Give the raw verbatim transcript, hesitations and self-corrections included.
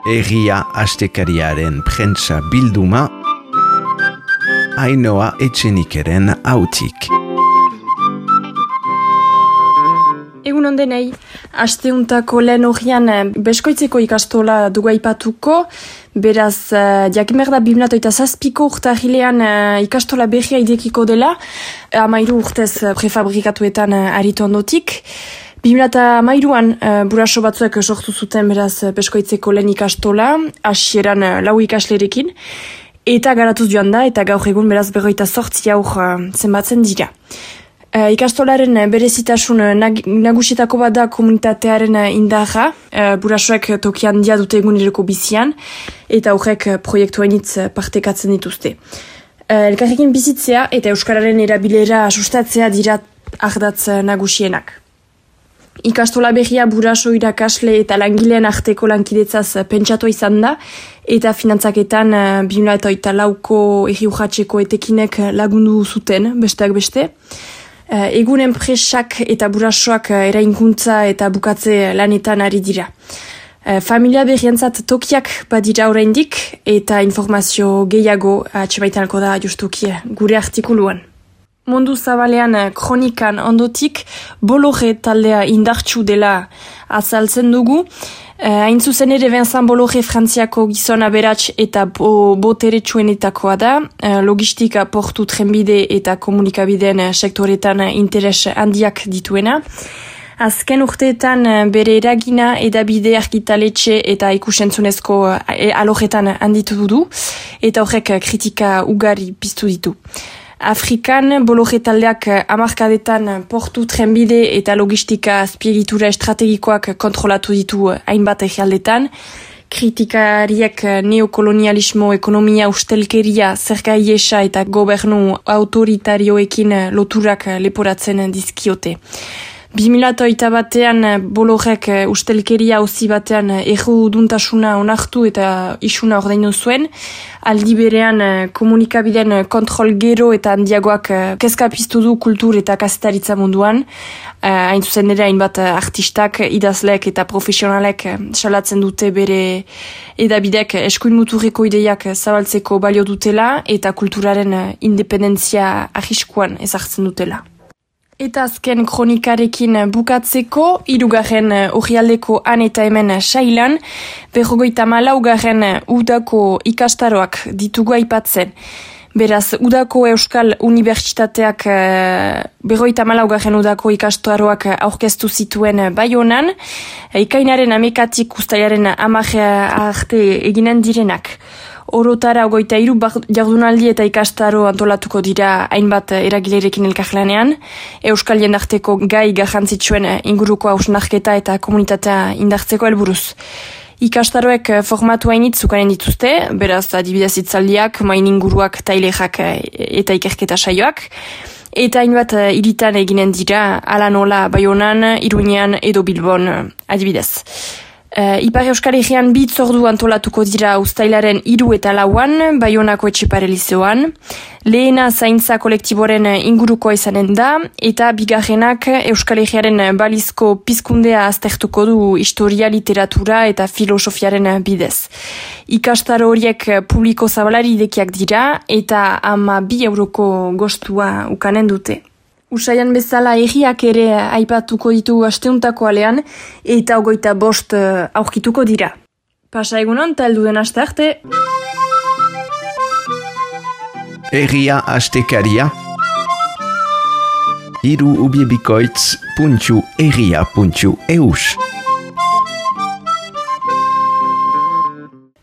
Egia astekariaren prentsa bilduma, Ainhoa Etxenikeren hautik. Egun ondenei, asteuntako lehen horian Beskoitzeko ikastola dugu aipatuko, beraz, jakimerda bi mila hogeita zazpiko urtarrilean ikastola berria idekiko dela, hamairu urtez prefabrikatuetan aritu ondotik. bi mila hamairuan buraso batzuek sortu zuten beraz Beskoitzeko lehen ikastola, hasieran lau ikaslerekin, eta garatuz joan da, eta gaur egun beraz berroita zortzi aur zenbatzen dira. Uh, ikastolaren berezitasun nag, nagusietako bat da komunitatearen indarra, uh, burasoek toki handia dute eguneroko bizian, eta horrek proiektu hainitz partekatzen dituzte. Uh, elkarrekin bizitzea eta euskararen erabilera sustatzea dira ardatz nagusienak. Ikastola berria buraso irakasle eta langileen arteko lankidetzaz pentsatu izan da, eta finantzaketan uh, bi mila hogeita lauko erri urratseko etekinek lagundu zuten, besteak beste. Uh, egun enpresak eta burasoak uh, erainkuntza eta bukatze lanetan ari dira. Uh, familia berrientzat tokiak badira oraindik eta informazio gehiago atxemaitanako da justuki gure artikuluan. Mundu zabalean kronikan ondotik Bolloré taldea indartsu dela azaltzen dugu. Uh, hain zuzen ere Vincent Bolloré Frantziako gizon aberats eta bo, boteretsuenetakoa da, uh, logistika, portu, trenbide eta komunikabideen sektoretan interes handiak dituena. Azken urteetan bere eragina edabide argitaletxe eta ikusentzunezko alojetan handitu du, eta horrek kritika ugari piztu ditu. Afrikan, Bolloré taldeak hamarkadetan portu, trenbide eta logistika azpiegitura estrategikoak kontrolatu ditu hainbat egialdetan. Kritikariek neokolonialismo, ekonomia, ustelkeria, zerga iesa eta gobernu autoritarioekin loturak leporatzen dizkiote. bi mila hogeita batean Bollorek ustelkeria auzi batean erruduntasuna onartu eta isuna ordaindu zuen, aldi berean komunikabideen kontrol gero eta handiagoak kezka piztu du kultur eta kazetaritza munduan, hain zuzen ere hainbat artistak, idazleek eta profesionalek salatzen dute bere edabidek eskuin muturreko ideiak zabaltzeko balio dutela eta kulturaren independentzia arriskuan ezartzen dutela. Eta azken kronikarekin bukatzeko, hirugarren orrialdeko han eta hemen sailan, berrogeita malaugarren udako ikastaroak ditugu aipatzen. Beraz, udako Euskal Unibertsitateak berrogeita malaugarren udako ikastaroak aurkeztu zituen Baionan, ikainaren amekatik ustailaren hamar arte eginen direnak. Orotara ogoita hiru jardunaldi eta ikastaro antolatuko dira hainbat eragilerekin elkarlanean, Euskal jendarteko gai garrantzitsuen inguruko hausnarketa eta komunitatea indartzeko helburuz. Ikastaroek formatu hainitz zukaren dituzte, beraz adibidez hitzaldiak, main inguruak, tailerak eta ikerketa saioak, eta hainbat hiritan eginen dira ala nola Baionan, Iruñean edo Bilbon adibidez. Uh, Ipar Euskal Herrian bi hitzordu antolatuko dira uztailaren hiru eta lauan, Baionako Etxepare Lizeoan. Lehena zaintza kolektiboren inguruko izanen da, eta bigarrenak Euskal Herriaren balizko pizkundea aztertuko du historia, literatura eta filosofiaren bidez. Ikastaro horiek publiko zabalari idekiak dira, eta ama bi euroko gostua ukanen dute. Usaian bezala erriak ere aipatuko ditu asteuntako alean, eta ogoita bost aurkituko dira. Pasa egunon, eta heldu den aste arte. Erria astekaria hiru ubiebikoitz puntu erria puntu eus